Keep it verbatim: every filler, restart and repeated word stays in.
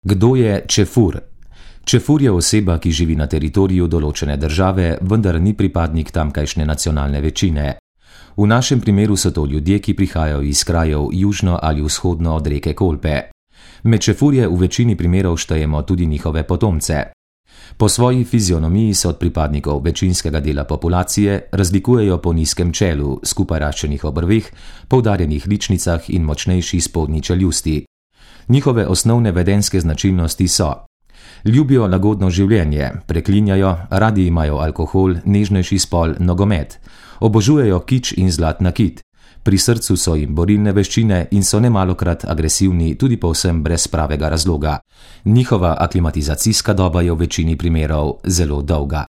Kdo je čefur? Čefur je oseba, ki živi na teritoriju določene države, vendar ni pripadnik tamkajšnje nacionalne večine. V našem primeru so to ljudje, ki prihajajo iz krajev južno ali vzhodno od reke Kolpe. Med čefurje v večini primerov štejemo tudi njihove potomce. Po svoji fizionomiji se od pripadnikov večinskega dela populacije razlikujejo po nizkem čelu, skupaj raščenih obrveh, poudarjenih ličnicah in močnejši spodnji čeljusti. Njihove osnovne vedenjske značilnosti so: ljubijo lagodno življenje, preklinjajo, radi imajo alkohol, nežnejši spol, nogomet, obožujejo kič in zlat nakit, pri srcu so jim borilne veščine in so nemalokrat agresivni tudi povsem brez pravega razloga. Njihova aklimatizacijska doba je v večini primerov zelo dolga.